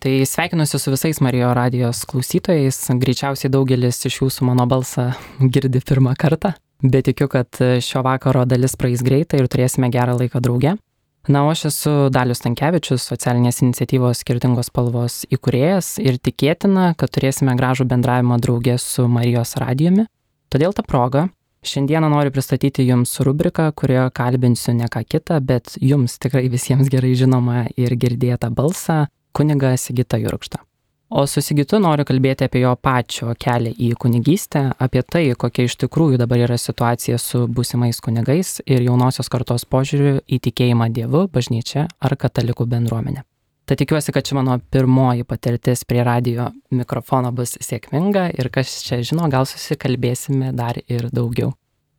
Tai sveikinuosi su visais Marijo radijos klausytojais. Greičiausiai daugelis iš jūsų mano balsą girdi pirmą kartą, bet tikiu, kad šio vakaro dalis praeis greitai ir turėsime gerą laiką drauge. Na, o aš esu Dalius Stankevičius, socialinės iniciatyvos Skirtingos spalvos įkūrėjas ir tikėtina, kad turėsime gražų bendravimą drauge su Marijos radijumi. Todėl ta proga šiandieną noriu pristatyti jums rubriką, kurioje kalbinsiu ne ką kitą, bet jums tikrai visiems gerai žinomą ir girdėtą balsą, kunigą Sigitą Jurkštą. O su Sigitu noriu kalbėti apie jo pačio kelią į kunigystę, apie tai, kokia iš tikrųjų dabar yra situacija su būsimais kunigais ir jaunosios kartos požiūriu į tikėjimą Dievu, bažnyčia ar katalikų bendruomenę. Tad tikiuosi, kad ši mano pirmoji patirtis prie radijo mikrofono bus sėkminga ir kas čia žino, gal susikalbėsime dar ir daugiau.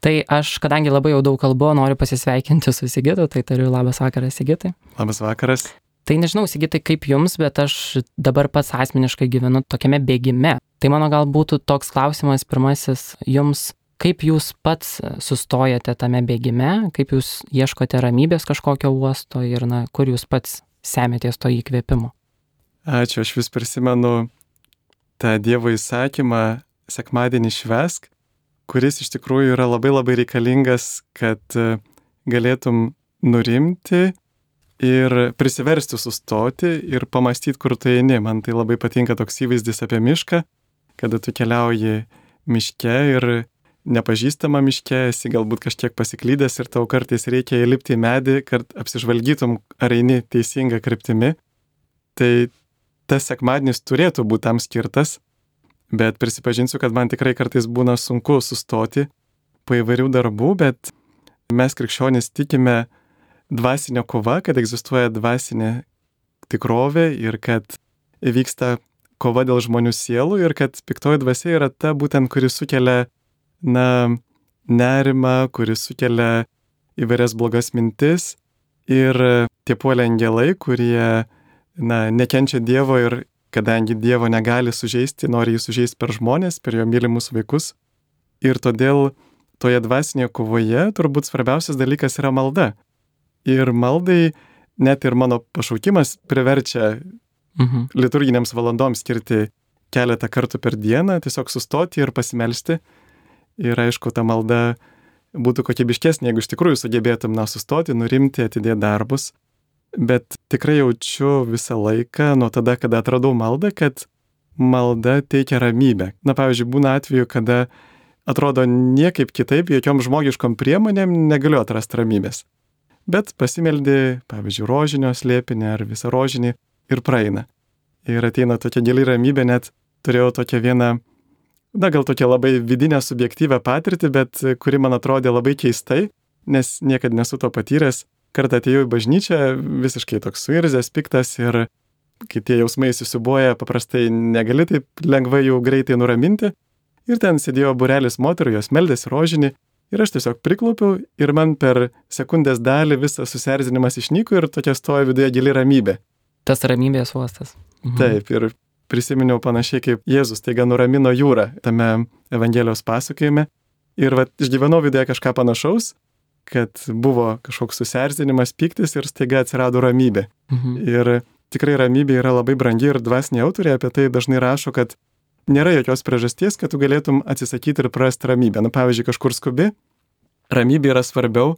Tai aš, kadangi labai jau daug kalbu, noriu pasisveikinti su Sigitu, tai tariu labas vakaras, Sigitai. Labas vakaras. Tai nežinau, Sigitai, kaip jums, bet aš dabar pats asmeniškai gyvenu tokiame bėgime. Tai mano gal būtų toks klausimas pirmasis jums, kaip jūs pats sustojate tame bėgime, kaip jūs ieškote ramybės kažkokio uosto ir kur jūs pats semėtės to įkvėpimo? Ačiū, aš vis prisimenu tą Dievo įsakymą sekmadienį švęsk, kuris iš tikrųjų yra labai labai reikalingas, kad galėtum nurimti ir prisiversti sustoti ir pamastyti, kur tu eini. Man tai labai patinka toks įvaizdis apie mišką, kada tu keliauji miške ir nepažįstama miške, esi galbūt kažkiek pasiklydęs ir tau kartais reikia įlipti į medį, kad apsižvalgytum, ar eini teisinga kryptimi. Tai tas sekmadienis turėtų būti tam skirtas, bet prisipažinsiu, kad man tikrai kartais būna sunku sustoti po įvairių darbų, bet mes krikščionys tikime dvasinė kova, kad egzistuoja dvasinė tikrovė ir kad vyksta kova dėl žmonių sielų ir kad piktoji dvasia yra ta būtent, kuri sukelia nerimą, kuri sukelia įvairias blogas mintis ir tie puolę angelai, kurie nekenčia Dievo ir kadangi Dievo negali sužeisti, nori jį sužeisti per žmonės, per jo mylimus vaikus. Ir todėl toje dvasinėje kovoje turbūt svarbiausias dalykas yra malda. Ir maldai net ir mano pašaukimas priverčia liturginėms valandoms skirti keletą kartų per dieną, tiesiog sustoti ir pasimelsti. Ir aišku, ta malda būtų kokybiškesnė, jeigu iš tikrųjų sugebėtum sustoti, nurimti, atidėti darbus. Bet tikrai jaučiu visą laiką nuo tada, kada atradau maldą, kad malda teikia ramybę. Pavyzdžiui, būna atveju, kada atrodo niekaip kitaip, jokiom žmogiškom priemonėm negaliu atrasti ramybės. Bet pasimeldi, pavyzdžiui, rožinio slėpinį ar visą rožinį ir praeina. Ir ateina tokia gili ramybė, net turėjau tokią vieną, gal tokią labai vidinę subjektyvę patirtį, bet kuri man atrodė labai keistai, nes niekad nesu to patyręs. Kartą atėjau į bažnyčią, visiškai toks suirzęs, piktas ir kai tie jausmai susibuoja, paprastai negali taip lengvai jau greitai nuraminti. Ir ten sėdėjo būrelis moterų, jos meldėsi rožinį. Ir aš tiesiog priklaupiau ir man per sekundės dalį visas susierzinimas išnyko ir tokia stoja viduje gili ramybė. Tas ramybės uostas. Taip, ir prisiminiau panašiai kaip Jėzus taiga nuramino jūrą tame Evangelijos pasakojime. Ir išgyvenau viduje kažką panašaus, kad buvo kažkoks susierzinimas, pyktis ir staiga atsirado ramybė. Ir tikrai ramybė yra labai brangi ir dvasiniai autoriai apie tai dažnai rašo, kad nėra jokios priežasties, kad tu galėtum atsisakyti ir prarasti ramybę. Pavyzdžiui, kažkur skubi, ramybė yra svarbiau,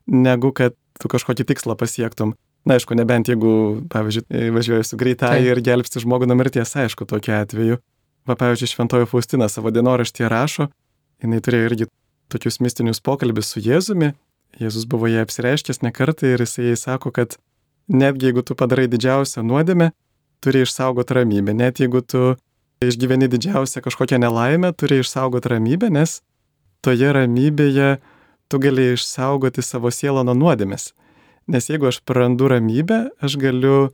negu kad tu kažkokį tikslą pasiektum. Aišku, nebent jeigu, pavyzdžiui, važiuoji su greitai ir gelbsti žmogų nuo mirties, aišku, tokiu atveju. Pavyzdžiui, Šventoji Faustina savo dienoraštyje rašo, jinai turėjo irgi tokius mistinius pokalbius su Jėzumi. Jėzus buvo jai apsireiškęs ne kartą ir jisai jai sako, kad netgi jeigu tu padarai didžiausią nuodėmę, turi išsaugoti ramybę. Net jeigu tu išgyveni didžiausią kažkokią nelaimę, turi išsaugoti ramybę, nes toje ramybėje tu gali išsaugoti savo sielą nuo nuodėmės. Nes jeigu aš prarandu ramybę, aš galiu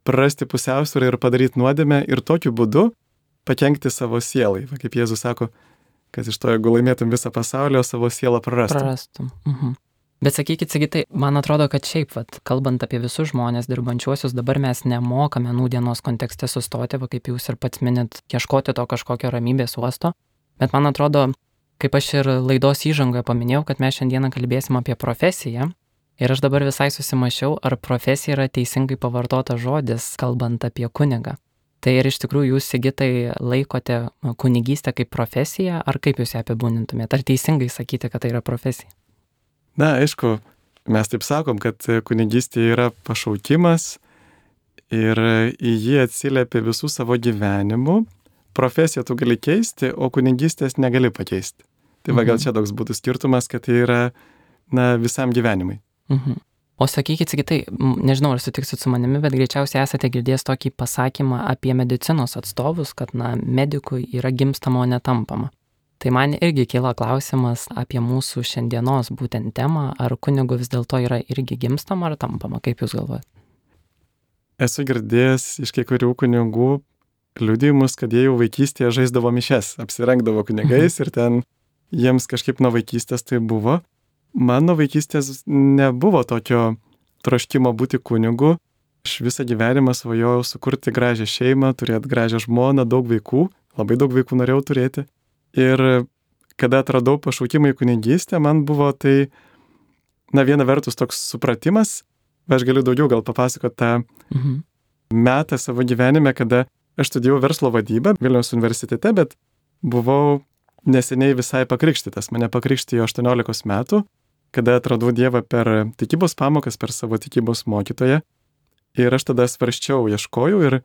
prarasti pusiausvyrą ir padaryti nuodėmę ir tokiu būdu pakenkti savo sielai. Kaip Jėzus sako, kad iš to, jeigu laimėtum visą pasaulį, o savo sielą prarastum. Bet sakykit, Sigitai, man atrodo, kad šiaip, kalbant apie visus žmonės dirbančiuosius, dabar mes nemokame nūdienos kontekste sustoti, kaip jūs ir pats minit, ieškoti to kažkokio ramybės uosto. Bet man atrodo, kaip aš ir laidos įžangoje paminėjau, kad mes šiandieną kalbėsim apie profesiją. Ir aš dabar visai susimašiau, ar profesija yra teisingai pavartota žodis, kalbant apie kunigą. Tai ir iš tikrųjų jūs, Sigitai, laikote kunigystę kaip profesiją, ar kaip jūs ją apibūdintumėte? Ar teisingai sakyti, kad tai yra profesija? Na, aišku, mes taip sakom, kad kunigystė yra pašaukimas ir į jį atsiliepia visų savo gyvenimų. Profesiją tu gali keisti, o kunigystės negali pakeisti. Tai va gal čia toks būtų skirtumas, kad tai yra, visam gyvenimui. O sakykit, Sigitai, nežinau, ar sutiksit su manimi, bet greičiausiai esate girdėjęs tokį pasakymą apie medicinos atstovus, kad, medikui yra gimstama, o netampama. Tai man irgi kyla klausimas apie mūsų šiandienos būtent temą, ar kunigu vis dėlto yra irgi gimstama ar tampama, kaip jūs galvojate? Esu girdėjęs iš kai kurių kunigų liudijimus, kad jie jau vaikystėje žaisdavo mišes, apsirengdavo kunigais ir ten jiems kažkaip nuo vaikystės tai buvo. Mano vaikystės nebuvo tokio troškimo būti kunigu. Aš visą gyvenimą svajojau sukurti gražią šeimą, turėti gražią žmoną, daug vaikų, labai daug vaikų norėjau turėti. Ir kada atradau pašaukimą į kunigystę, man buvo tai, viena vertus toks supratimas, aš galiu daugiau gal papasakoti tą metą savo gyvenime, kada aš studijavau verslo vadybą Vilniaus universitete, bet buvau neseniai visai pakrikštytas. Mane pakrikštijo 18 metų, kada atradau Dievą per tikybos pamokas, per savo tikybos mokytoją. Ir aš tada svarsčiau, ieškojau ir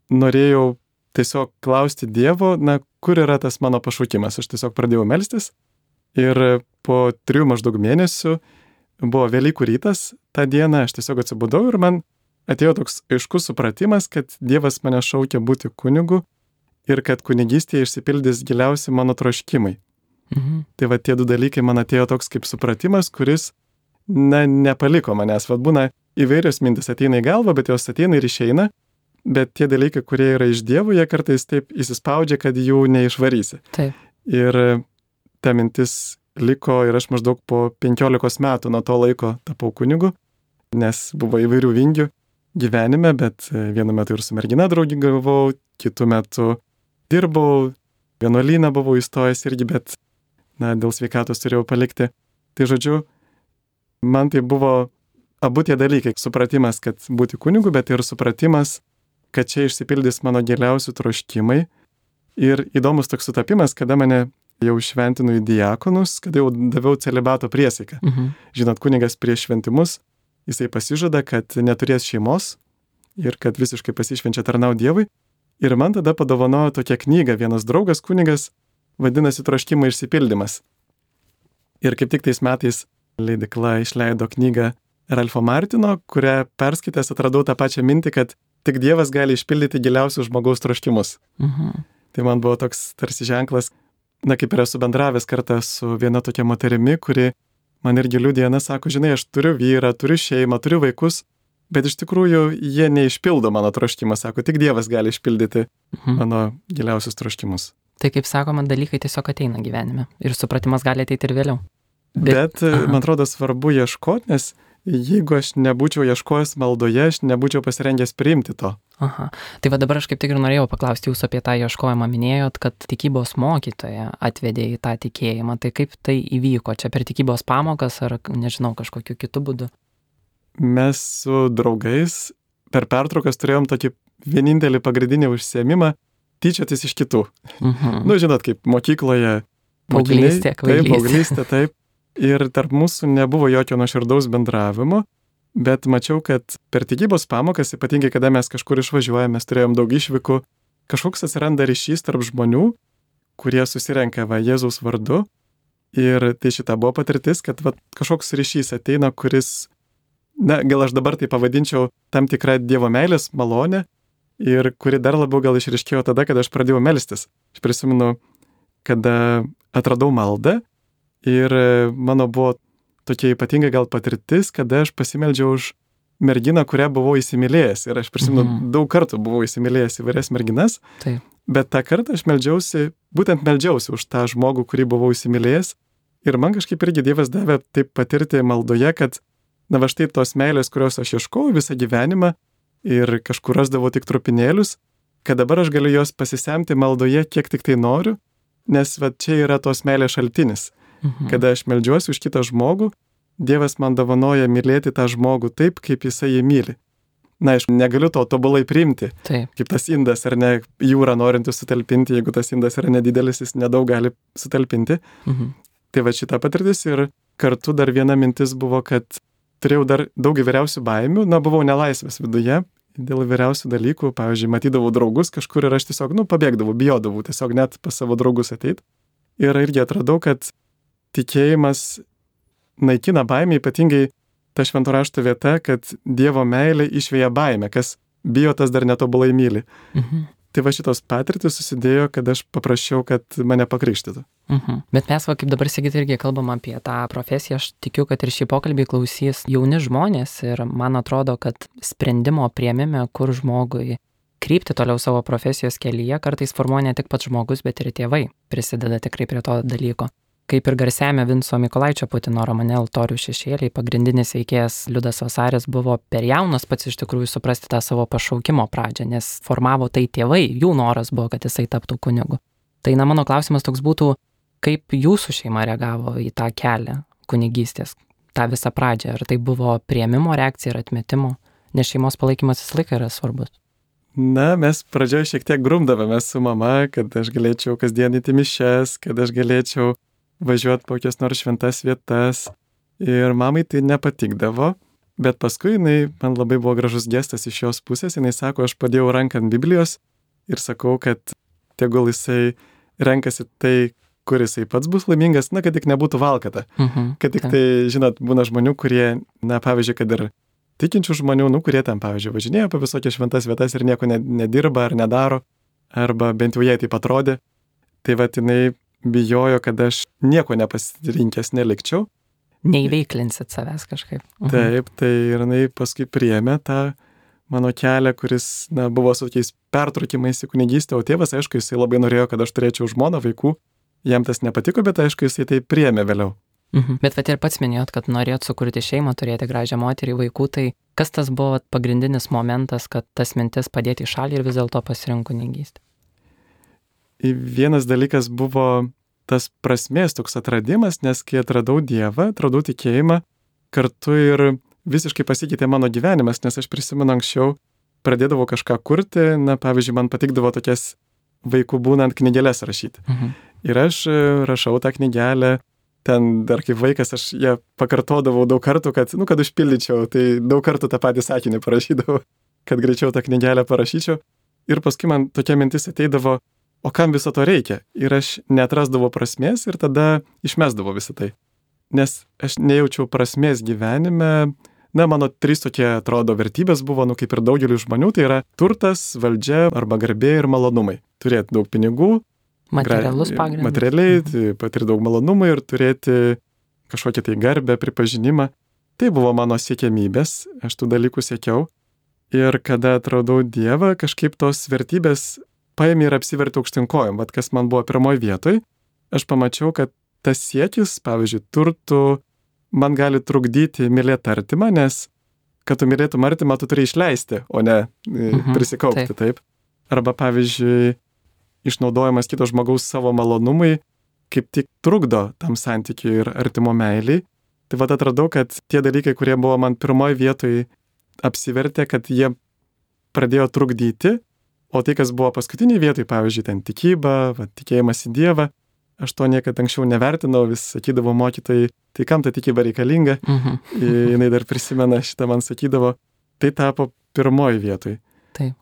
norėjau tiesiog klausti Dievo, kur yra tas mano pašaukimas. Aš tiesiog pradėjau melstis ir po 3 maždaug mėnesių buvo Velykų rytas tą dieną, aš tiesiog atsibudau ir man atėjo toks aiškus supratimas, kad Dievas mane šaukia būti kunigu ir kad kunigystėje išsipildys giliausi mano troškimai. Tai va tie 2 dalykai man atėjo toks kaip supratimas, kuris, nepaliko manęs. Va būna įvairios mintis ateina į galvą, bet jos ateina ir išeina, bet tie dalykai, kurie yra iš Dievo, jie kartais taip įsispaudžia, kad jų neišvarysi. Taip. Ir ta mintis liko ir aš maždaug po 15 metų nuo to laiko tapau kunigu, nes buvo įvairių vingių gyvenime, bet vienu metu ir su mergina draugavau, kitu metu dirbau, vienuolyną buvau įstojęs irgi, bet dėl sveikatos turėjau palikti. Tai žodžiu, man tai buvo abu tie dalykai. Supratimas, kad būti kunigu, bet ir supratimas, kad čia išsipildys mano giliausių troškimai. Ir įdomus toks sutapimas, kada mane jau šventinu į diakonus, kada jau daviau celibato priesaiką. Žinot, kunigas prieš šventimus, jisai pasižada, kad neturės šeimos ir kad visiškai pasišvenčia tarnauti Dievui. Ir man tada padovanojo tokią knygą vienas draugas kunigas, vadinasi Troškimo išsipildymas. Ir kaip tik tais metais leidykla išleido knygą Ralfo Martino, kurią perskaitęs atradau tą pačią mintį, kad tik Dievas gali išpildyti giliausius žmogaus troškimus. Tai man buvo toks tarsi ženklas, kaip ir esu bendravęs kartą su viena tokia moterimi, kuri man irgi liudija, sako, žinai, aš turiu vyrą, turiu šeimą, turiu vaikus, bet iš tikrųjų jie neišpildo mano troškimą, sako, tik Dievas gali išpildyti mano giliausius troškimus. Tai kaip sakoma, dalykai tiesiog ateina gyvenime ir supratimas gali ateiti ir vėliau. Bet man atrodo svarbu ieškoti, nes jeigu aš nebūčiau ieškojęs maldoje, aš nebūčiau pasirengęs priimti to. Tai va dabar aš kaip tik ir norėjau paklausti jūsų apie tą ieškojimą. Minėjot, kad tikybos mokytoja atvedė į tą tikėjimą. Tai kaip tai įvyko? Čia per tikybos pamokas ar, nežinau, kažkokiu kitu būdu? Mes su draugais per pertraukas turėjom tokį vienintelį pagrindinį užsiėmimą tyčiotis iš kitų. Žinot, kaip mokykloje paauglystė, paauglystė, taip. Ir tarp mūsų nebuvo jokio nuoširdaus bendravimo, bet mačiau, kad per tikybos pamokas, ypatingai kada mes kažkur išvažiuojame, mes turėjom daug išvykų, kažkoks atsiranda ryšys tarp žmonių, kurie susirenka Jėzaus vardu. Ir tai šita buvo patirtis, kad kažkoks ryšys ateina, kuris, gal aš dabar tai pavadinčiau tam tikrą Dievo meilės malonę, ir kuri dar labiau gal išryškėjo tada, kada aš pradėjau melstis. Aš prisimenu, kada atradau maldą ir mano buvo tokia ypatinga gal patirtis, kada aš pasimeldžiau už merginą, kurią buvau įsimylėjęs. Ir aš prisimenu, daug kartų buvau įsimylėjęs įvairias merginas, bet tą kartą aš meldžiausi už tą žmogų, kurį buvau įsimylėjęs. Ir man kažkaip irgi Dievas davė taip patirti maldoje, kad štai tos meilės, kurios aš ieškojau visą gyvenimą, ir kažkur rasdavo tik trupinėlius, kad dabar aš galiu jos pasisemti maldoje, kiek tik tai noriu, nes čia yra tos meilės šaltinis. Kada aš meldžiuosi už kitą žmogų, Dievas man dovanoja mylėti tą žmogų taip, kaip jisai jį myli. na, aišku, negaliu to tobulai priimti. Taip. Kaip tas indas, ar ne, jūra norintis sutalpinti, jeigu tas indas yra nedidelis, jis nedaug gali sutalpinti. Tai va šita patirtis ir kartu dar viena mintis buvo, kad turėjau dar daug įvairiausių baimių, na, buvau nelaisvės viduje dėl įvairiausių dalykų, pavyzdžiui, matydavau draugus kažkur ir aš tiesiog, pabėgdavau, bijodavau tiesiog net pas savo draugus ateit. Ir irgi atradau, kad tikėjimas naikina baimę, ypatingai ta švento rašto vieta, kad Dievo meilė išvėja baimę, kas bijo, tas dar netobulai myli. Tai va šitos patirtis susidėjo, kad aš paprašiau, kad mane pakrikštytų. Bet mes, kaip dabar Sigita irgi kalbam apie tą profesiją, aš tikiu, kad ir šį pokalbį klausys jauni žmonės ir man atrodo, kad sprendimo priėmime, kur žmogui krypti toliau savo profesijos kelyje, kartais formuoja ne tik pats žmogus, bet ir tėvai prisideda tikrai prie to dalyko. Kaip ir garsiame Vinco Mykolaičio Putino romane Altorių šešėliai, pagrindinis veikėjas Liudas Vasaris buvo per jaunas pats iš tikrųjų suprasti tą savo pašaukimo pradžią, nes formavo tai tėvai, jų noras buvo, kad jisai taptų kunigu. Tai mano klausimas toks būtų, kaip jūsų šeima reagavo į tą kelią kunigystės, tą visą pradžią, ar tai buvo priėmimo reakcija ir atmetimo, nes šeimos palaikymas visą laiką yra svarbus. Na, mes pradžioje šiek tiek grumdavomės su mama, kad aš galėčiau kasdien į mišias, kad aš galėčiau važiuoti po kokias nors šventas vietas ir mamai tai nepatikdavo, bet paskui man labai buvo gražus gestas iš jos pusės, jinai sako, aš padėjau ranką ant Biblijos ir sakau, kad tegul jisai renkasi tai, kur jisai pats bus laimingas, kad tik nebūtų valkata, kad tik tai, žinot, būna žmonių, kurie, pavyzdžiui, kad ir tikinčių žmonių, kurie ten, pavyzdžiui, važinėja po visokias šventas vietas ir nieko nedirba ar nedaro, arba bent jau jai taip atrodė, tai jinai bijojo, kad aš nieko nepasirinkęs nelikčiau. Neįveiklinsit savęs kažkaip. Taip, tai ir jinai paskui priėmė tą mano kelią, kuris, buvo su tokiais pertraukimais į kunigystę, o tėvas, aišku, jisai labai norėjo, kad aš turėčiau žmoną, vaikų, jam tas nepatiko, bet aišku, jisai tai priėmė vėliau. Bet ir pats minėjot, kad norėjot sukurti šeimą, turėti gražią moterį, vaikų, tai kas tas buvo pagrindinis momentas, kad tas mintis padėti į šalį ir vis dėlto pasirinkti kunigystę? Vienas dalykas buvo tas prasmės toks atradimas, nes kai atradau Dievą, atradau tikėjimą, kartu ir visiškai pasikeitė mano gyvenimas, nes aš prisimenu anksčiau, pradėdavau kažką kurti, pavyzdžiui, man patikdavo tokias vaikų būnant knygelės rašyti. Ir aš rašau tą knygelę, ten dar kaip vaikas aš ją pakartodavau daug kartų, kad užpildyčiau, tai daug kartų tą patį sakinį parašydavau, kad greičiau tą knygelę parašyčiau. Ir paskui man tokia mintis ateidavo, o kam viso to reikia? Ir aš neatrasdavau prasmės ir tada išmesdavau visą tai. Nes aš nejaučiau prasmės gyvenime. Mano 3 tokie, atrodo, vertybės buvo, kaip ir daugelių žmonių, tai yra turtas, valdžia arba garbė ir malonumai. Turėti daug pinigų, materialus pagrindas. Materialiai, patirti daug malonumų ir turėti kažkokią tai garbę, pripažinimą. Tai buvo mano siekiamybės, aš tų dalykų siekiau. Ir kada atradau Dievą, kažkaip tos vertybės paėmė ir apsivertė aukštinkojom. Kas man buvo pirmoje vietoje, aš pamačiau, kad tas siekis, pavyzdžiui, turtų, man gali trukdyti mylėti artimą, nes kad tu mylėtum artimą, tu turi išleisti, o ne prisikaupti, taip. Arba, pavyzdžiui, išnaudojimas kito žmogaus savo malonumui kaip tik trukdo tam santykiui ir artimo meiliai. Tai atradau, kad tie dalykai, kurie buvo man pirmoje vietoje, apsivertė, kad jie pradėjo trukdyti, o tai, kas buvo paskutinėje vietoje, pavyzdžiui, ten tikyba, tikėjimas į Dievą, aš to niekada anksčiau nevertinau, vis sakydavo mokytojai, tai kam ta tikyba reikalinga, jinai dar prisimena, šitą man sakydavo, tai tapo pirmoji vietoje. Taip.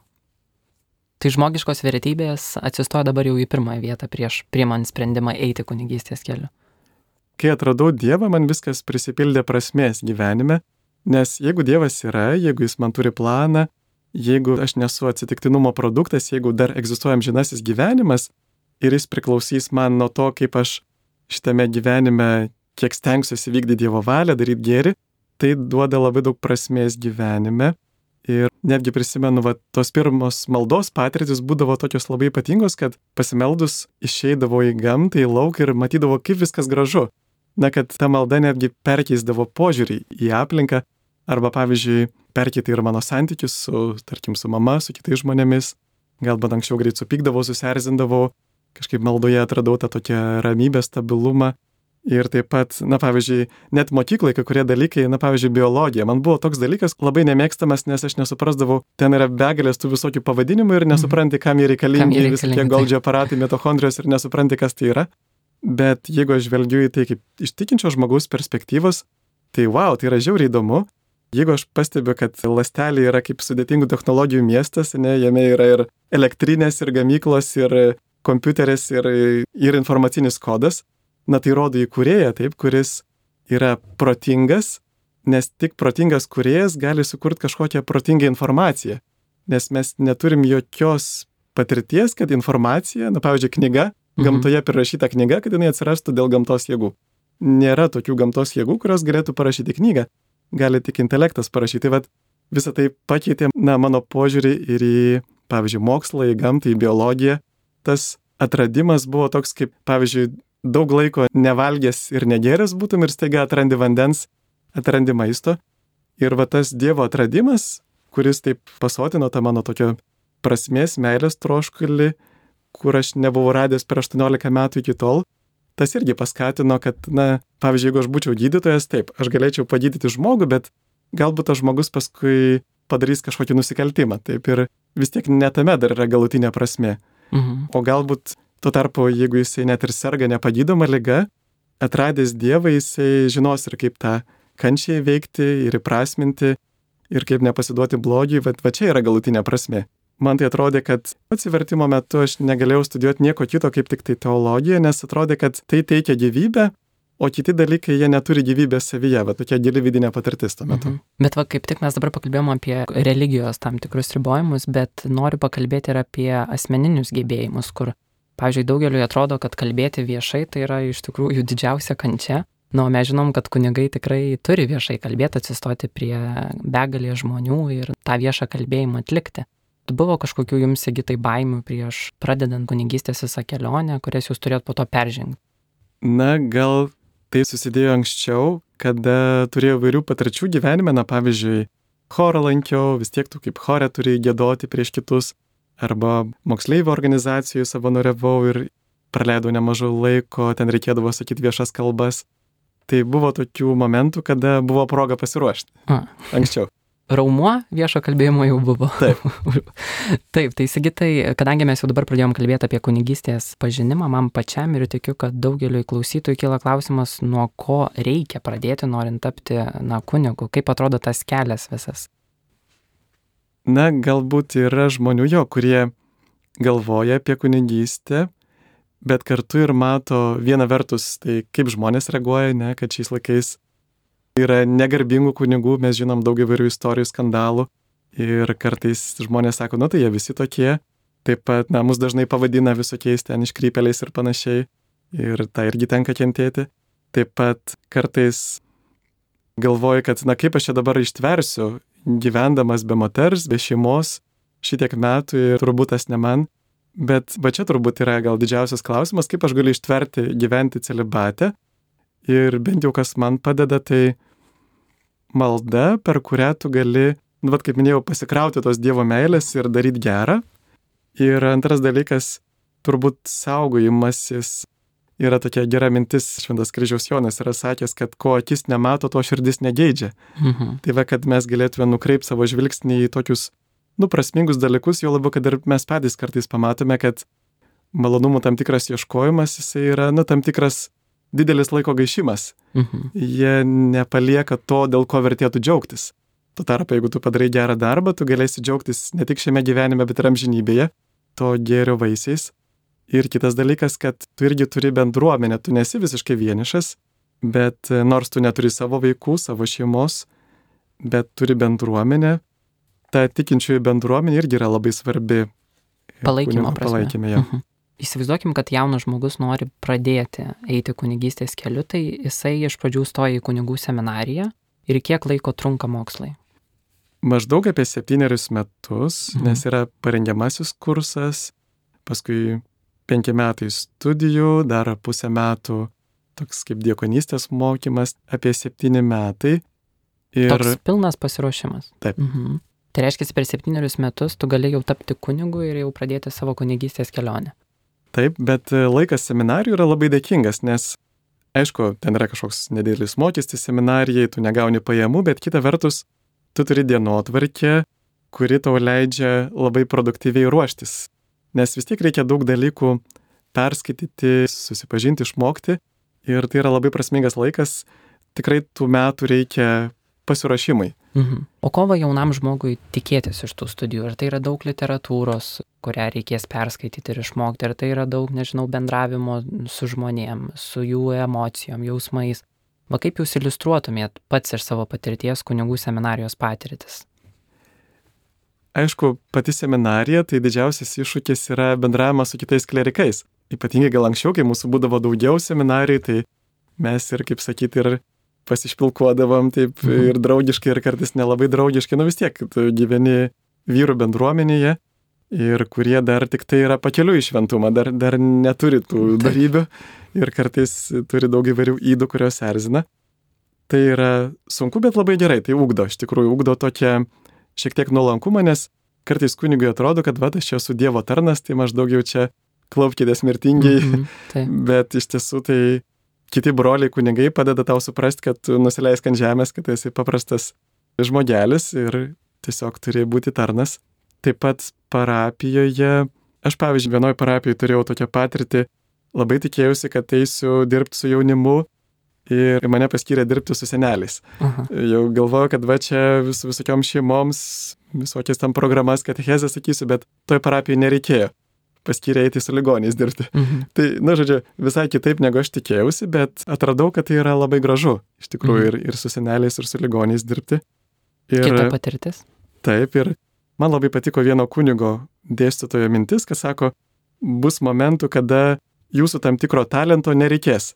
Tai žmogiškos vertybės atsistojo dabar jau į pirmąją vietą prieš priimant sprendimą eiti kunigystės keliu. Kai atradau Dievą, man viskas prisipildė prasmės gyvenime, nes jeigu Dievas yra, jeigu jis man turi planą, jeigu aš nesu atsitiktinumo produktas, jeigu dar egzistuoja amžinasis gyvenimas ir jis priklausys man nuo to, kaip aš šitame gyvenime kiek stengsiuosi vykdyti Dievo valią, daryti gėrį, tai duoda labai daug prasmės gyvenime. Ir netgi prisimenu, tos pirmos maldos patirtis būdavo tokios labai ypatingos, kad pasimeldus išeidavo į gamtą, į lauką ir matydavo, kaip viskas gražu. Kad ta malda netgi perkeisdavo požiūrį į aplinką, arba, pavyzdžiui, perkeitė ir mano santykius su mama, su kitais žmonėmis. Galbūt anksčiau greit supykdavau, susierzindavau, kažkaip maldoje atradau tą tokią ramybę, stabilumą. Ir taip pat, na pavyzdžiui, net mokyklai kai kurie dalykai, na pavyzdžiui, biologija. Man buvo toks dalykas labai nemėgstamas, nes aš nesuprasdavau, ten yra begalės tų visokių pavadinimų ir nesupranti, kam jie reikalingi, visokie Golgi aparatai, mitochondrijos ir nesupranti, kas tai yra. Bet jeigu aš žvelgiu į tai kaip iš tikinčio žmogaus perspektyvos, tai wow, tai yra žiauriai įdomu. Jeigu aš pastebiu, kad ląstelė yra kaip sudėtingų technologijų miestas, ne, jame yra ir elektrinės, ir gamyklos, ir kompiuteris, ir informacinis kodas, na tai rodo įkūrėją, taip, kuris yra protingas, nes tik protingas kūrėjas gali sukurti kažkokią protingą informaciją. Nes mes neturim jokios patirties, kad informacija, na pavyzdžiui, knyga, gamtoje prirašyta knyga, kad jinai atsirastų dėl gamtos jėgų. Nėra tokių gamtos jėgų, kurios galėtų parašyti knygą. Gali tik intelektas parašyti. Vat visą tai pakeitė, na, mano požiūrį ir į, pavyzdžiui, mokslą, į gamtą, į biologiją. Tas atradimas buvo toks kaip, pavyzdžiui, daug laiko nevalgęs ir negeręs būtum ir staiga atrandi vandens, atrandi maisto. Ir va tas Dievo atradimas, kuris taip pasotino tą mano tokio prasmės, meilės troškulį, kur aš nebuvau radęs per 18 metų iki tol, tas irgi paskatino, kad, na, pavyzdžiui, jeigu aš būčiau gydytojas, taip, aš galėčiau pagydyti žmogų, bet galbūt tas žmogus paskui padarys kažkokį nusikaltimą. Taip ir vis tiek ne tame dar yra galutinė prasmė. O galbūt tuo tarpu, jeigu jisai net ir serga nepagydoma liga, atradęs Dievą, jisai žinos ir kaip tą kančią įveikti ir įprasminti ir kaip nepasiduoti blogiui, va čia yra galutinė prasmė. Man tai atrodė, kad atsivertimo metu aš negalėjau studijuoti nieko kito kaip tik tai teologiją, nes atrodė, kad tai teikia gyvybę, o kiti dalykai jie neturi gyvybės savyje, va tokia gili vidinė patirtis tuo metu. Bet va kaip tik mes dabar pakalbėjom apie religijos tam tikrus ribojimus, bet noriu pakalbėti ir apie asmeninius gebėjimus, kur, pavyzdžiui, daugeliui atrodo, kad kalbėti viešai tai yra iš tikrųjų didžiausia kančia. Na, o mes žinom, kad kunigai tikrai turi viešai kalbėti, atsistoti prie begalės žmonių ir tą viešą kalbėjimą atlikti. Buvo kažkokių jums, Sigitai, baimių prieš pradedant kunigystės visą kelionę, kurias jūs turėjot po to peržengti? Na, gal tai susidėjo anksčiau, kada turėjau vairių patirčių gyvenime, na, pavyzdžiui, chorą lankiau, vis tiek tu kaip chore turi giedoti prieš kitus, arba moksleivių organizacijų savanoriavau ir praleidau nemažai laiko, ten reikėdavo sakyti viešas kalbas. Tai buvo tokių momentų, kada buvo proga pasiruošti. Anksčiau. Raumuo viešo kalbėjimo jau buvo. Taip. Taip, tai Sigitai, kadangi mes jau dabar pradėjom kalbėti apie kunigystės pažinimą, man pačiam ir tikiu, kad daugeliui klausytojų kyla klausimas, nuo ko reikia pradėti, norint tapti, na, kunigu, kaip atrodo tas kelias visas. Na, galbūt yra žmonių kurie galvoja apie kunigystę, bet kartu ir mato viena vertus, tai kaip žmonės reaguoja, ne, kad šiais laikais yra negarbingų kunigų, mes žinom daug įvairių istorijų, skandalų ir kartais žmonės sako, nu tai jie visi tokie, taip pat, na, mus dažnai pavadina visokiais ten iškrypėliais ir panašiai ir tą irgi tenka kentėti. Taip pat kartais galvoju, kad, na, kaip aš čia dabar ištversiu, gyvendamas be moters, be šeimos, šitiek metų ir turbūt tas ne man, bet va čia turbūt yra gal didžiausias klausimas, kaip aš galiu ištverti gyventi celibate ir bent jau kas man padeda, tai malda, per kurią tu gali, nu, vat, kaip minėjau, pasikrauti tos Dievo meilės ir daryti gerą. Ir antras dalykas, turbūt saugojimasis yra tokia gera mintis, Šventas Kryžiaus Jonas yra sakęs, kad ko akis nemato, to širdis negeidžia. Tai va, kad mes galėtume nukreipti savo žvilgsnį į tokius, nu, prasmingus dalykus, jo labiau, kad ir mes patys kartais pamatome, kad malonumų tam tikras ieškojimas, jisai yra, nu, tam tikras didelis laiko gaišimas. Jie nepalieka to, dėl ko vertėtų džiaugtis. Tuo tarpu, jeigu tu padarai gerą darbą, tu galėsi džiaugtis ne tik šiame gyvenime, bet ir amžinybėje, to gėrio vaisiais. Ir kitas dalykas, kad tu irgi turi bendruomenę, tu nesi visiškai vienišas, bet nors tu neturi savo vaikų, savo šeimos, bet turi bendruomenę, ta tikinčiųjų bendruomenė irgi yra labai svarbi. Palaikymo prasme. Palaikymė, jo. Įsivaizduokim, kad jaunas žmogus nori pradėti eiti kunigystės keliu, tai jisai iš pradžių stoja į kunigų seminariją ir kiek laiko trunka mokslai? Maždaug apie 7 metus, nes yra parengiamasis kursas, paskui 5 metai studijų, dar pusę metų toks kaip diakonystės mokymas, apie 7 metai. Ir... Toks pilnas pasiruošimas. Taip. Tai reiškia, per 7 metus tu gali jau tapti kunigu ir jau pradėti savo kunigystės kelionę. Taip, bet laikas seminarijų yra labai dėkingas, nes Aišku, ten yra kažkoks nedidelis mokestis seminarijai, tu negauni pajamų, bet kita vertus, tu turi dienotvarkę, kuri tau leidžia labai produktyviai ruoštis. Nes vis tiek reikia daug dalykų perskaityti, susipažinti, išmokti. Ir tai yra labai prasmingas laikas. Tikrai tų metų reikia pasiruošimai. O ko jaunam žmogui tikėtis iš tų studijų? Ar tai yra daug literatūros, kurią reikės perskaityti ir išmokti? Ar tai yra daug, nežinau, bendravimo su žmonėm, su jų emocijom, jausmais? Va kaip jūs iliustruotumėt pats iš savo patirties kunigų seminarijos patirtis? Aišku, pati seminarija, tai didžiausias iššūkis yra bendravimas su kitais klerikais. Ypatingai gal anksčiau, kai mūsų būdavo daugiau seminarijų, tai mes ir, kaip sakyti, ir pasišpilkuodavom taip ir draugiškai, ir kartais nelabai draugiškai. Vis tiek, tu gyveni vyrų bendruomenėje ir kurie dar tik tai yra pakeliui į šventumą, dar neturi tų darybių ir kartais turi daug įvairių ydų, kurios erzina. Tai yra sunku, bet labai gerai, tai ugdo, iš tikrųjų ugdo tokią šiek tiek nuolankumą, nes kartais kunigui atrodo, kad va, aš čia esu Dievo tarnas, tai maždaug jau čia klaupkitės mirtingiai, bet iš tiesų tai kiti broliai kunigai padeda tau suprasti, kad tu nusileisk ant žemės, kad esi paprastas žmogelis ir tiesiog turi būti tarnas. Taip pat parapijoje, aš pavyzdžiui, vienoje parapijoje turėjau tokią patirtį, labai tikėjausi, kad eisiu dirbti su jaunimu ir mane paskyrė dirbti su seneliais. Jau galvoju, kad va čia visokiom šeimoms, visokias tam programas, katechezę sakysiu, bet toj parapijoje nereikėjo. Paskyrė eiti su ligoniais dirbti. Tai, žodžiu, visai kitaip negu aš tikėjausi, bet atradau, kad tai yra labai gražu. Iš tikrųjų, ir su seneliais, ir su ligoniais dirbti. Kita patirtis? Taip, ir man labai patiko vieno kunigo dėstytojo mintis, kad sako, bus momentų, kada jūsų tam tikro talento nereikės.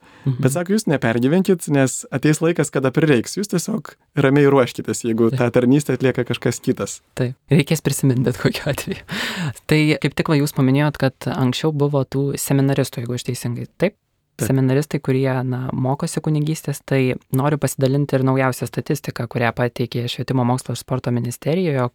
Bet sako, jūs nepergyvenkit, nes ateis laikas, kada prireiks. Jūs tiesiog ramiai ruoškitės, jeigu tą tarnystę atlieka kažkas kitas. Taip, reikės prisiminti bet kokiu atveju. Tai kaip tik jūs paminėjot, kad anksčiau buvo tų seminaristų, jeigu aš teisingai. Taip? Seminaristai, kurie mokosi kunigystės, tai noriu pasidalinti ir naujausią statistiką, kurią pateikė Švietimo mokslo ir sporto ministerijoje.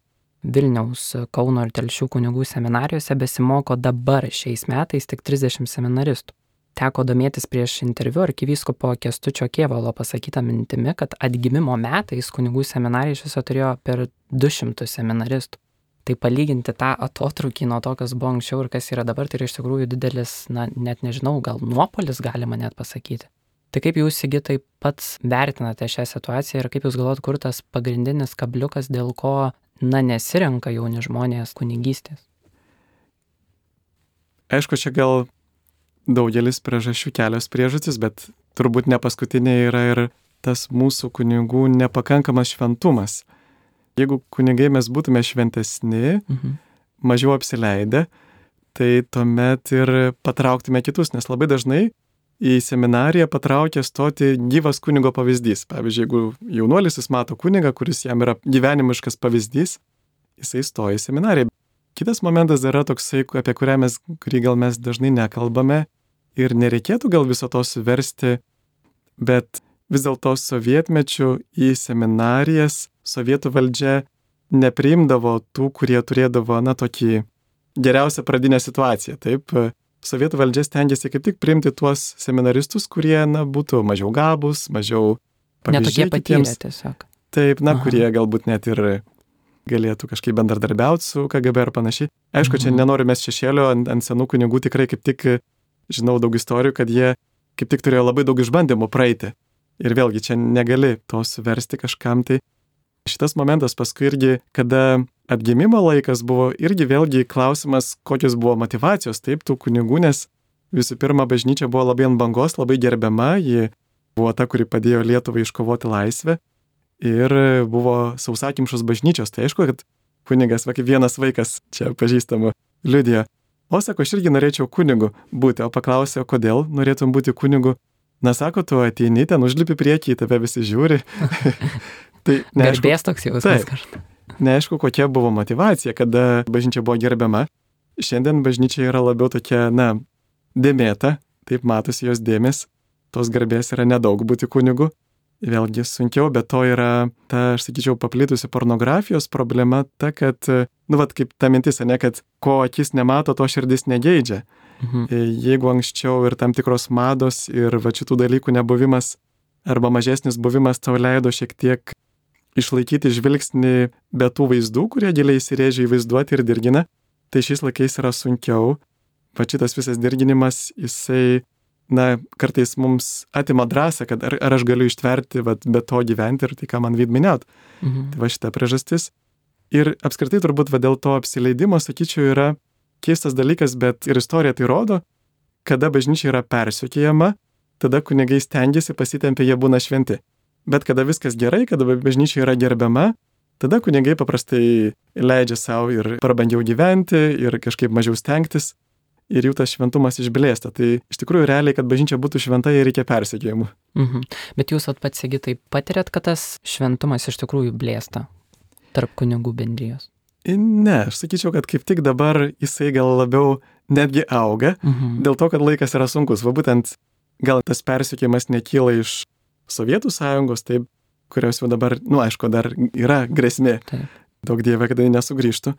Vilniaus, Kauno ir Telšių kunigų seminarijose besimoko dabar šiais metais tik 30 seminaristų. Teko domėtis prieš interviu arkivyskupo Kęstučio Kėvalo pasakytą mintimi, kad atgimimo metais kunigų seminarija iš viso turėjo per 200 seminaristų. Tai palyginti tą atotrūkį nuo to, kas buvo anksčiau ir kas yra dabar, tai yra iš tikrųjų didelis, net nežinau, gal nuopolis galima net pasakyti. Tai kaip jūs, Sigitai, pats vertinate šią situaciją ir kaip jūs galvojat, kur tas pagrindinis kabliukas, dėl ko nesirenka jauni žmonės kunigystės? Aišku, čia gal daugelis priežasčių, kelios priežastys, bet turbūt ne paskutinė yra ir tas mūsų kunigų nepakankamas šventumas. Jeigu kunigai mes būtume šventesni, mažiau apsileidę, tai tuomet ir patrauktume kitus, nes labai dažnai į seminariją patraukia stoti gyvas kunigo pavyzdys. Pavyzdžiui, jeigu jaunuolis jis mato kunigą, kuris jam yra gyvenimiškas pavyzdys, jisai stoja į seminariją. Kitas momentas yra toksai, apie kurį gal mes dažnai nekalbame ir nereikėtų gal viso to suversti, bet vis dėlto sovietmečių į seminarijas sovietų valdžia nepriimdavo tų, kurie turėdavo, tokį geriausią pradinę situaciją. Taip, sovietų valdžia stengiasi kaip tik priimti tuos seminaristus, kurie, būtų mažiau gabūs, mažiau pavyzdžiai kitiems. Netokė patyrę tiesiog. Taip, kurie galbūt net ir galėtų kažkaip bendradarbiauti su KGB ar panašiai. Aišku, čia nenoriu mes šešėlio ant senų kunigų, tikrai kaip tik žinau daug istorijų, kad jie kaip tik turėjo labai daug išbandymų praeiti. Ir vėlgi čia negali to suversti kažkam tai. Šitas momentas paskui irgi, kada atgimimo laikas buvo, irgi vėlgi klausimas, kokios buvo motyvacijos taip tų kunigų, nes visų pirma bažnyčia buvo labai ant bangos, labai gerbiama, ji buvo ta, kuri padėjo Lietuvai iškovoti laisvę ir buvo sausakimšos bažnyčios. Tai aišku, kad kunigas, kaip vienas vaikas čia pažįstamų liudijo. O sako, aš irgi norėčiau kunigu būti, o paklausė, kodėl norėtum būti kunigu. Sako, tu ateini ten, užlipi priekį, tave visi žiūri. Tai garbės toks jausmas kažkaip. Neaišku, kokia buvo motyvacija, kada bažnyčia buvo gerbiama. Šiandien bažnyčia yra labiau tokia, dėmėta, taip matosi jos dėmės, tos garbės yra nedaug būti kunigu. vėlgi sunkiau, bet to yra ta, aš sakyčiau, paplitusi pornografijos problema ta, kad, kaip ta mintis, ne, kad ko akis nemato, to širdis negeidžia. Jeigu anksčiau ir tam tikros mados ir šitų dalykų nebuvimas arba mažesnis buvimas tau leido šiek tiek išlaikyti žvilgsnį be tų vaizdų, kurie giliai įsirėžia į vaizduotę ir dirgina, tai šiais laikais yra sunkiau. Šitas visas dirginimas, jisai, kartais mums atima drąsą, kad ar aš galiu ištverti be to gyventi ir tai, ką man minėjot. Tai šita priežastis. Ir apskritai turbūt dėl to apsileidimo, sakyčiau, yra keistas dalykas, bet ir istorija tai rodo, kada bažnyčia yra persekiojama, tada kunigai stengiasi, pasitempia, jie būna šventi. Bet kada viskas gerai, kada bažnyčia yra gerbiama, tada kunigai paprastai leidžia savo ir prabangiau gyventi ir kažkaip mažiau stengtis ir jų tas šventumas išblėsta. Tai iš tikrųjų realiai, kad bažnyčia būtų šventa, jai reikia persekiojimų. Bet jūs pats, Sigitai, patiriat, kad tas šventumas iš tikrųjų blėsta tarp kunigų bendrijos? Ne, aš sakyčiau, kad kaip tik dabar jisai gal labiau netgi auga, dėl to, kad laikas yra sunkus. Būtent gal tas persekiojimas nekyla iš Sovietų sąjungos, taip, kurios jau dabar, aišku, dar yra grėsmė. Taip. Daug dieve, kad jie nesugrįžtų.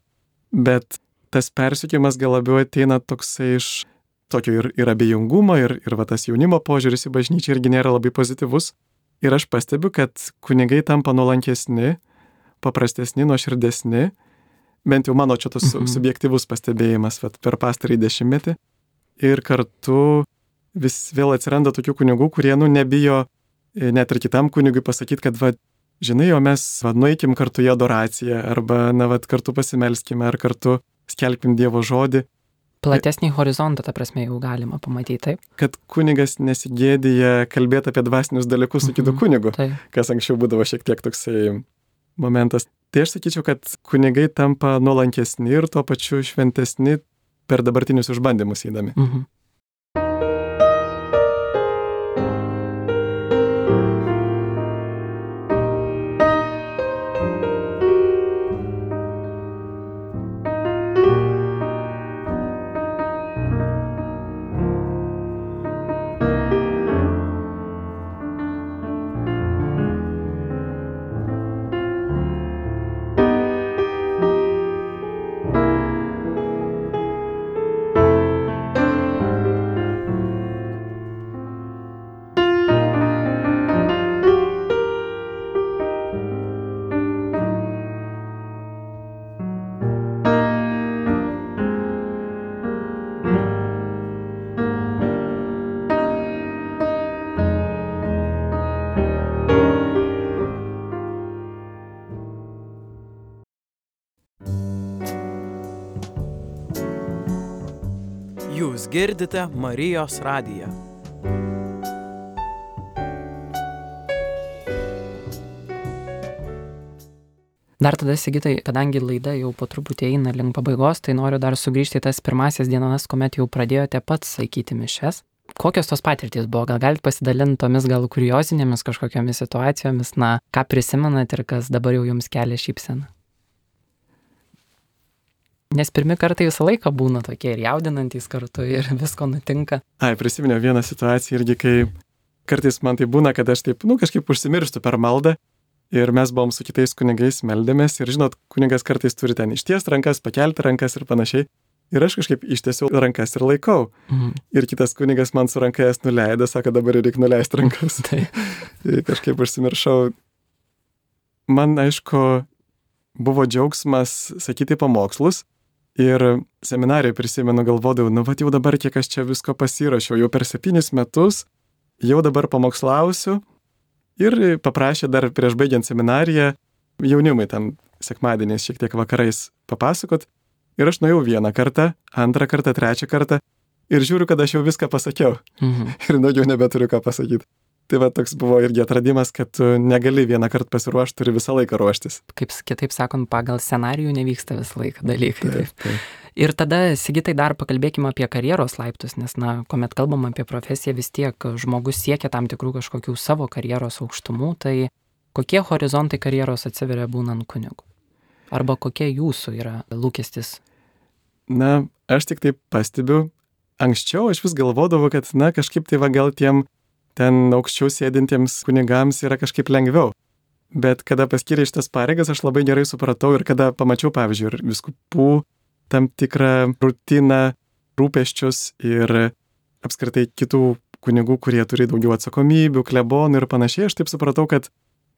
Bet tas persekiojimas gal labiau ateina toksai iš tokio ir abejingumo, ir tas jaunimo požiūris į bažnyčią irgi nėra labai pozityvus. Ir aš pastebiu, kad kunigai tampa nuolankesni, paprastesni, nuoširdesni, bent jau mano čia tas subjektyvus pastebėjimas per pastarąjį 10-metį. Ir kartu vis vėl atsiranda tokių kunigų, kurie nebijo net ir kitam kunigui pasakyti, kad žinai, o mes nueikim kartu į adoraciją, arba kartu pasimelskime, ar kartu skelbkim Dievo žodį. Platesnį horizontą, ta prasme, jau galima pamatyti, taip? Kad kunigas nesigėdija kalbėti apie dvasinius dalykus su kitu kunigu, kas anksčiau būdavo šiek tiek toksai momentas. Tai aš sakyčiau, kad kunigai tampa nuolankesni ir tuo pačiu šventesni per dabartinius išbandymus eidami. Jūs girdite Marijos radiją. Dar tada, Sigitai, kadangi laida jau po truputį eina link pabaigos, tai noriu dar sugrįžti į tas pirmasias dienas, kuomet jau pradėjote pats laikyti mišias. Kokios tos patirtys buvo? Gal galite pasidalinti tomis gal kuriozinėmis kažkokiamis situacijomis, ką prisimenat ir kas dabar jau jums kelia šypseną? Nes pirmi kartai visą laiką būna tokie ir jaudinantys kartu ir visko nutinka. Prisiminiau vieną situaciją irgi, kai kartais man tai būna, kad aš taip, kažkaip užsimirštu per maldą ir mes buvom su kitais kunigais meldėmės ir žinot, kunigas kartais turi ten ištiesti rankas, pakelti rankas ir panašiai. Ir aš kažkaip ištiesiu rankas ir laikau. Ir kitas kunigas man su ranka jas nuleido, sako, dabar reikia nuleisti rankas. Tai kažkaip užsimiršau. Man, aišku, buvo džiaugsmas sakyti pamokslus. Ir seminarijoje prisimenu, galvodavau, jau dabar kiek aš čia visko pasirašiau, jau per 7 metus, jau dabar pamokslausiu. Ir paprašė dar prieš baigiant seminariją jaunimui ten sekmadieniais šiek tiek vakarais papasakot. Ir aš nuėjau 1 kartą, 2 kartą, 3 kartą ir žiūriu, kad aš jau viską pasakiau. Ir daugiau nebeturiu ką pasakyti. Tai toks buvo irgi atradimas, kad tu negali 1 kartą pasiruošti, turi visą laiką ruoštis. Kaip kitaip sakant, pagal scenarijų nevyksta visą laiką dalykai. Taip. Ir tada, Sigitai, dar pakalbėkime apie karjeros laiptus, nes, kuomet kalbam apie profesiją, vis tiek žmogus siekia tam tikrų kažkokių savo karjeros aukštumų, tai kokie horizontai karjeros atsiveria būnant kunigu? Arba kokie jūsų yra lūkestis? Aš tik taip pastebiu, anksčiau aš vis galvodavau, kad, kažkaip tai gal tiem ten aukščiau sėdintiems kunigams yra kažkaip lengviau. Bet kada paskyrė šitas pareigas, aš labai gerai supratau ir kada pamačiau, pavyzdžiui, ir vyskupų tam tikrą rutiną, rūpesčius ir apskritai kitų kunigų, kurie turi daugiau atsakomybių, klebonų ir panašiai, aš taip supratau, kad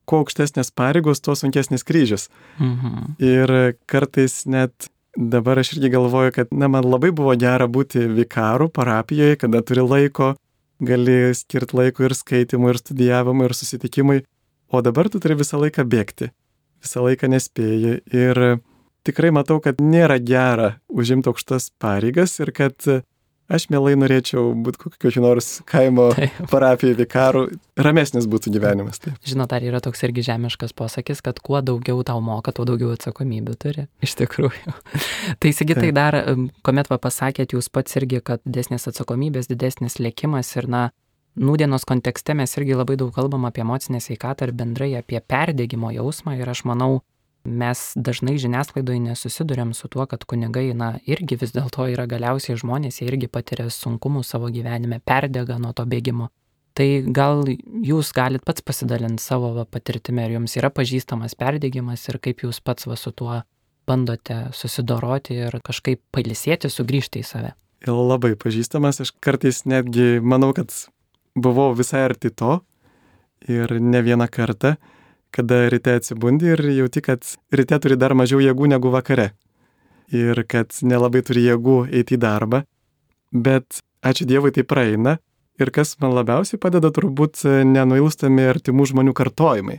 kuo aukštesnės pareigos, tuo sunkesnis kryžius. Ir kartais net dabar aš irgi galvoju, kad man labai buvo gera būti vikaru parapijoje, kada turi laiko, gali skirti laiko ir skaitimui, ir studijavimui, ir susitikimui. O dabar tu turi visą laiką bėgti, visą laiką nespėji ir tikrai matau, kad nėra gera užimti aukštas pareigas ir kad aš mielai norėčiau būti kokiu nors kaimo parapijai vikaru, ramesnis būtų gyvenimas. Taip. Žinot, ar yra toks irgi žemiškas posakis, kad kuo daugiau tau moka, tuo daugiau atsakomybių turi. Iš tikrųjų. Tai Sigitai dar, kuomet pasakėt jūs pats irgi, kad didesnės atsakomybės, didesnis lėkimas ir nūdienos kontekste mes irgi labai daug kalbam apie emocinę sveikatą ir bendrai apie perdegimo jausmą ir aš manau, mes dažnai žiniasklaidoje nesusidurėm su tuo, kad kunigai, irgi vis dėlto yra galiausiai žmonės, jie irgi patiria sunkumų savo gyvenime, perdega nuo to bėgimo. Tai gal jūs galit pats pasidalinti savo patirtimi, ar jums yra pažįstamas perdegimas ir kaip jūs pats su tuo bandote susidoroti ir kažkaip pailsėti, sugrįžti į save. Labai pažįstamas, aš kartais netgi manau, kad buvau visai arti to ir ne vieną kartą, kada ryte atsibundi ir jauti, kad ryte turi dar mažiau jėgų negu vakare ir kad nelabai turi jėgų eiti į darbą, bet ačiū Dievui tai praeina ir kas man labiausiai padeda turbūt nenuilstami artimų žmonių kartojimai,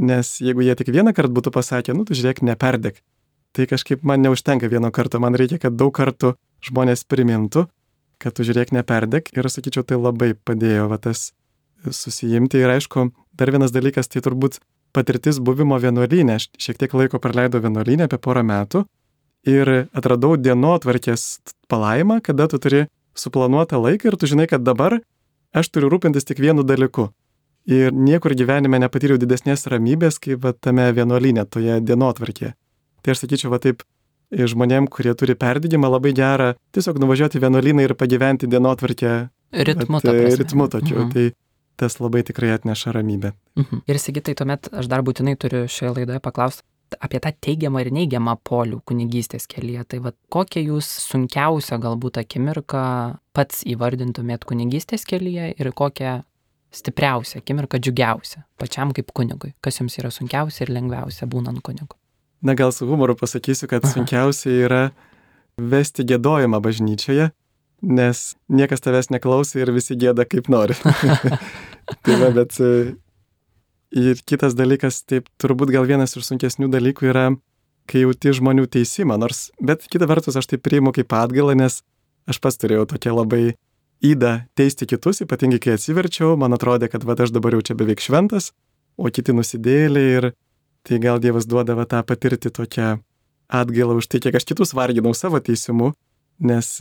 nes jeigu jie tik vieną kartą būtų pasakę, tu žiūrėk, neperdek, tai kažkaip man neužtenka vieno karto, man reikia, kad daug kartų žmonės primintų, kad tu žiūrėk, neperdek ir sakyčiau, tai labai padėjo tas susijimti ir aišku, dar vienas dalykas, tai turbūt patirtis buvimo vienuolyne, aš šiek tiek laiko praleidau vienuolyne apie 4 metų ir atradau dienotvarkės palaimą, kada tu turi suplanuotą laiką ir tu žinai, kad dabar aš turiu rūpintis tik vienu dalyku ir niekur gyvenime nepatyriau didesnės ramybės, kaip tame vienuolyne, toje dienotvarkėje. Tai aš sakyčiau, taip, žmonėm, kurie turi perdegimą, labai gera tiesiog nuvažiuoti vienuolyną ir pagyventi dienotvarkę ritmu tokiu. Tai tas labai tikrai atneša ramybę. Ir Sigitai, tuomet aš dar būtinai turiu šioje laidoje paklausti apie tą teigiamą ir neigiamą polių kunigystės kelyje. Tai kokią jūs sunkiausią galbūt akimirką pats įvardintumėt kunigystės kelyje ir kokią stipriausią akimirką, džiugiausią pačiam kaip kunigui? Kas jums yra sunkiausia ir lengviausia būnant kunigu? Gal su humoru pasakysiu, kad sunkiausia yra vesti giedojimą bažnyčioje, nes niekas tavęs neklauso ir visi gieda kaip nori. Bet ir kitas dalykas, taip turbūt gal vienas iš sunkesnių dalykų yra, kai jauti žmonių teisimą, bet kita vertus aš tai priimu kaip atgailą, nes aš pats turėjau tokia labai ydą teisti kitus, ypatingai kai atsiverčiau, man atrodė, kad aš dabar jau čia beveik šventas, o kiti nusidėjėliai ir tai gal Dievas duoda tą patirti tokią atgailą už tai, kiek aš kitus varginau savo teisimu, nes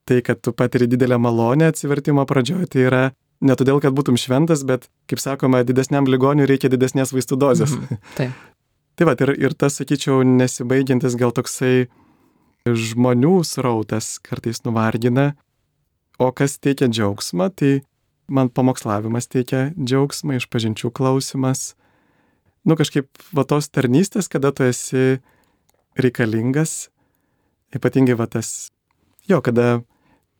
tai, kad tu patiri didelę malonę atsivertimo pradžioje, tai yra ne todėl, kad būtum šventas, bet, kaip sakoma, didesniam ligoniui reikia didesnės vaistų dozės. Taip. Tai ir tas, sakyčiau, nesibaigiantis gal toksai žmonių srautas kartais nuvargina, o kas teikia džiaugsmą, tai man pamokslavimas teikia džiaugsmą, išpažinčių klausimas. Kažkaip tos tarnystės, kada tu esi reikalingas, ypatingai kada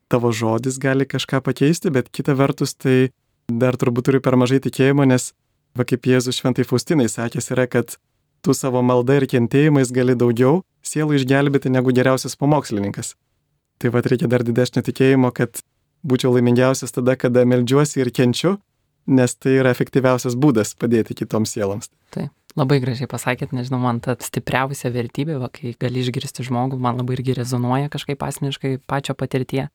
tavo žodis gali kažką pakeisti, bet kita vertus tai dar turbūt turi per mažai tikėjimo, nes kaip Jėzus šventai Faustinai sakęs yra, kad tu savo malda ir kentėjimais gali daugiau sielų išgelbėti negu geriausias pamokslininkas. Tai reikia dar didesnio tikėjimo, kad būčiau laimingiausias tada, kada meldžiuosi ir kenčiu, nes tai yra efektyviausias būdas padėti kitoms sieloms. Taip, labai gražiai pasakėt, nežinau, man ta stipriausia vertybė, kai gali išgirsti žmogų, man labai irgi rezonuoja kažkaip asmeniškai pačio patirtie.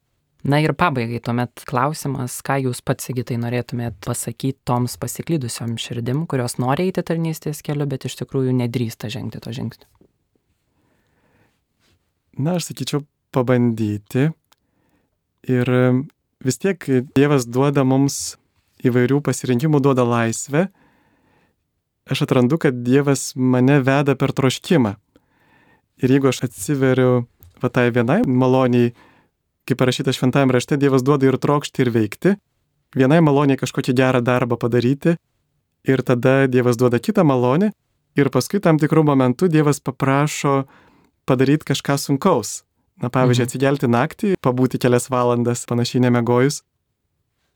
Ir pabaigai tuomet klausimas, ką jūs pats, Sigitai, norėtumėt pasakyti toms pasiklydusiom širdim, kurios nori eiti tarnystės keliu, bet iš tikrųjų nedrįsta žengti to žingsnio. Aš sakyčiau, pabandyti. Ir vis tiek Dievas duoda mums įvairių pasirinkimų, duoda laisvę. Aš atrandu, kad Dievas mane veda per troškimą. Ir jeigu aš atsiveriu tai vienai maloniai, kaip parašyta šventajame rašte, Dievas duoda ir trokšti, ir veikti, vienai maloniai kažkokį gerą darbą padaryti ir tada Dievas duoda kitą malonę ir paskui tam tikrų momentų Dievas paprašo padaryti kažką sunkaus. Na, pavyzdžiui, atsigelti naktį, pabūti kelias valandas panašiai nemegojus.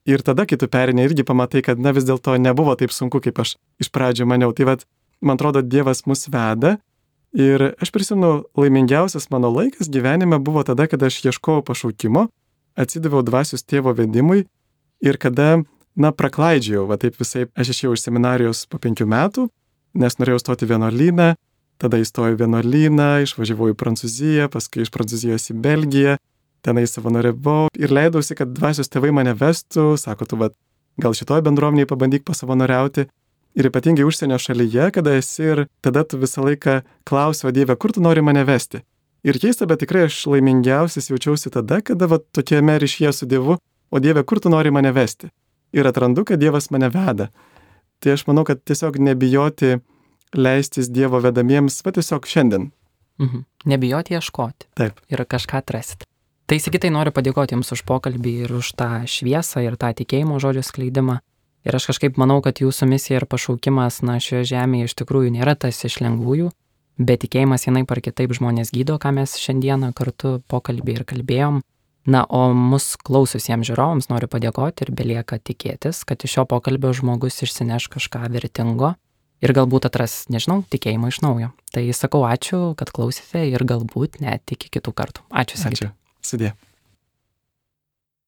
Ir tada, kai tu perini, irgi pamatai, kad vis dėlto nebuvo taip sunku, kaip aš iš pradžio maniau. Tai man atrodo, Dievas mus veda. Ir aš prisimenu, laimingiausias mano laikas gyvenime buvo tada, kada aš ieškojau pašaukimo, atsidaviau dvasios tėvo vedimui ir kada, praklaidžiau, taip visai, aš išėjau iš seminarijos po 5 metų, nes norėjau stoti vienuolyną, tada įstojau vienuolyną, išvažiavau į Prancūziją, paskui iš Prancūzijos į Belgiją, tenai savanoriavau ir leidausi, kad dvasios tėvai mane vestų, sako, tu gal šitoj bendruomeniai pabandyk pasavanoriauti. Ir ypatingai užsienio šalyje, kada esi ir tada tu visą laiką klausi, o Dieve, kur tu nori mane vesti? Ir keista, bet tikrai aš laimingiausias jaučiausi tada, kada tokiame ryšyje su Dievu, o Dieve, kur tu nori mane vesti? Ir atrandu, kad Dievas mane veda. Tai aš manau, kad tiesiog nebijoti leistis Dievo vedamiems, tiesiog šiandien. Nebijoti ieškoti. Taip. Ir kažką atrasti. Tai Sigitai noriu padėkoti Jums už pokalbį ir už tą šviesą ir tą tikėjimo žodžio skleidimą. Ir aš kažkaip manau, kad Jūsų misija ir pašaukimas, šioje žemėje iš tikrųjų nėra tas iš lengvųjų, bet tikėjimas vienaip ar kitaip žmonės gydo, ką mes šiandieną kartu pokalbį ir kalbėjom. O mus klaususiems žiūrovams noriu padėkoti ir belieka tikėtis, kad iš šio pokalbio žmogus išsineš kažką vertingo ir galbūt atras, tikėjimą iš naujo. Tai sakau ačiū, kad klausėte ir galbūt net iki kitų kartų. Ačiū, Sigitai. Ačiū. Sudie.